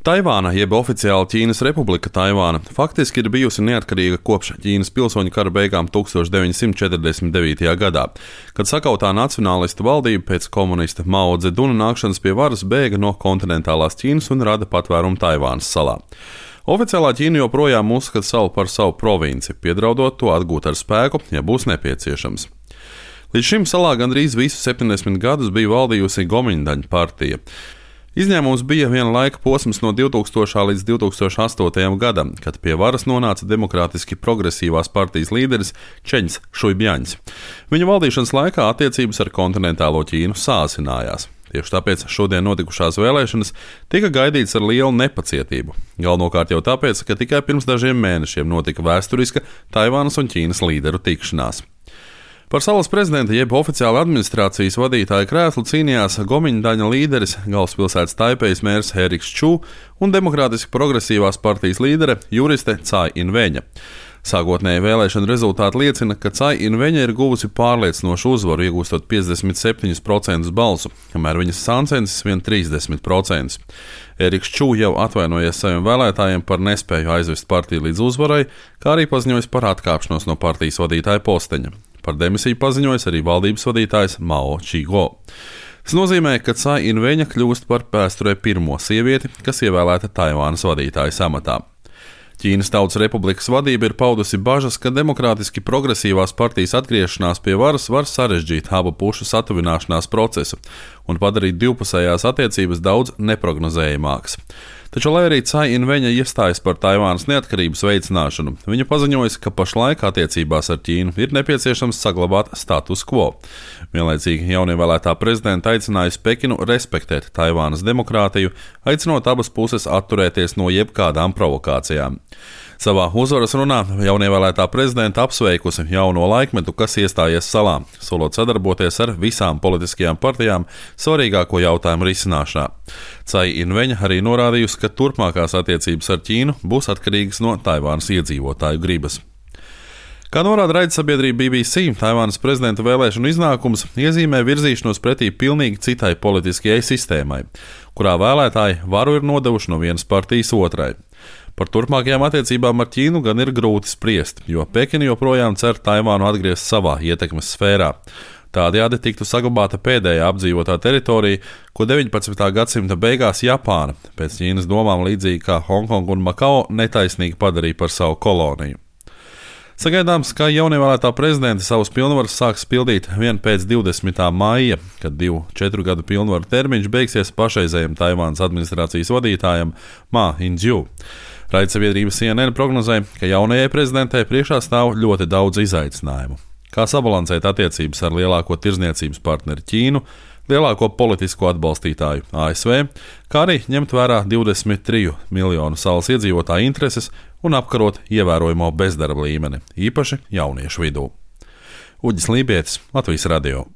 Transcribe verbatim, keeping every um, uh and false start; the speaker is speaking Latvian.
Taivāna, jeb oficiāli Ķīnas Republika Taivāna, faktiski ir bijusi neatkarīga kopš Ķīnas pilsoņu kara beigām tūkstoš deviņsimt četrdesmit devītajā gadā, kad sakautā nacionālistu valdība pēc komunista Mao Dzeduna nākšanas pie varas bēga no kontinentālās Ķīnas un rada patvērumu Taivānas salā. Oficiālā Ķīna joprojām uzskata salu par savu provinci, piedraudot to atgūt ar spēku, ja būs nepieciešams. Līdz šim salā gandrīz visus septiņdesmit gadus bija valdījusi Gomiņdaņu partija. Izņēmums bija viena laika posms no divtūkstošā līdz divi tūkstoši astotajam gadam, kad pie varas nonāca demokrātiski progresīvās partijas līderis Čeņs Šuibjaņs. Viņa valdīšanas laikā attiecības ar kontinentālo Ķīnu sāsinājās. Tieši tāpēc šodien notikušās vēlēšanas tika gaidītas ar lielu nepacietību. Galvenokārt jau tāpēc, ka tikai pirms dažiem mēnešiem notika vēsturiska Taivānas un Ķīnas līderu tikšanās. Par salas prezidenta jeb oficiāla administrācijas vadītāja krēslu cīnījās Gomiņdaņa līderis, galvaspilsētas Taipejas mērs Eriks Čū un demokrātiski progresīvās partijas līdere juriste Cai Inveņa. Sākotnēji vēlēšana rezultāti liecina, ka Cai Inveņa ir guvusi pārliecinošu uzvaru, iegūstot piecdesmit septiņus procentus balsu, kamēr viņas sāncensis vien trīsdesmit procentus. Eriks Čū jau atvainojies saviem vēlētājiem par nespēju aizvest partiju līdz uzvarai, kā arī paziņojis par atkāpšanos no partijas vadītāja posteņa. Par demisiju paziņojis arī valdības vadītājs Mao Čīgo. Tas nozīmē, ka Cai Inveņa kļūst par vēsturē pirmo sievieti, kas ievēlēta Taivānas vadītājas amatā. Ķīnas Tautas Republikas vadība ir paudusi bažas, ka demokrātiski progresīvās partijas atgriešanās pie varas var sarežģīt abu pušu satuvināšanās procesu un padarīt divpusējās attiecības daudz neprognozējamākas. Taču, lai arī Cai Inveņa iestājas par Taivānas neatkarības veicināšanu, viņa paziņoja, ka pašlaik attiecībās ar Ķīnu ir nepieciešams saglabāt status quo. Vienlaicīgi jaunievēlētā prezidenta aicinājusi Pekinu respektēt Taivānas demokrātiju, aicinot abas puses atturēties no jebkādām provokācijām. Savā uzvaras runā jaunievēlētā prezidenta apsveikusi jauno laikmetu, kas iestājies salā, solot sadarboties ar visām politiskajām partijām svarīgāko jautājumu risināšanā. Cai Inveņa arī norādījusi, ka turpmākās attiecības ar Ķīnu būs atkarīgas no Taivānas iedzīvotāju gribas. Kā norāda raidsabiedrība B B C, Taivānas prezidenta vēlēšanu iznākums iezīmē virzīšanos pretī pilnīgi citai politiskajai sistēmai, kurā vēlētāji varu ir nodevuši no vienas partijas otrai. Par turpmākajām attiecībām ar Ķīnu gan ir grūti spriest, jo Pekina joprojām cer Taivānu atgriezt savā ietekmes sfērā. Tādējādi tiktu saglabāta pēdējā apdzīvotā teritorija, ko deviņpadsmitā gadsimta beigās Japāna, pēc Ķīnas domām līdzīgi kā Hongkonga un Makao, netaisnīgi padarīja par savu koloniju. Sagaidāms, ka jaunievēlētā prezidenta savus pilnvarus sāks pildīt vien pēc divdesmitā maija, kad divu četru gadu pilnvaru termiņš beigsies pašreizējam Taivānas administrācijas vadītājam Ma Ying-jeou. Raidsabiedrība C N N prognozē, ka jaunajai prezidentei priekšā stāv ļoti daudz izaicinājumu. Kā sabalansēt attiecības ar lielāko tirzniecības partneri Ķīnu, lielāko politisko atbalstītāju A S V, kā arī ņemt vērā divdesmit triju miljonu salas iedzīvotāju intereses un apkarot ievērojamo bezdarba līmeni, īpaši jauniešu vidū. Uģis Lībietis, Latvijas radio.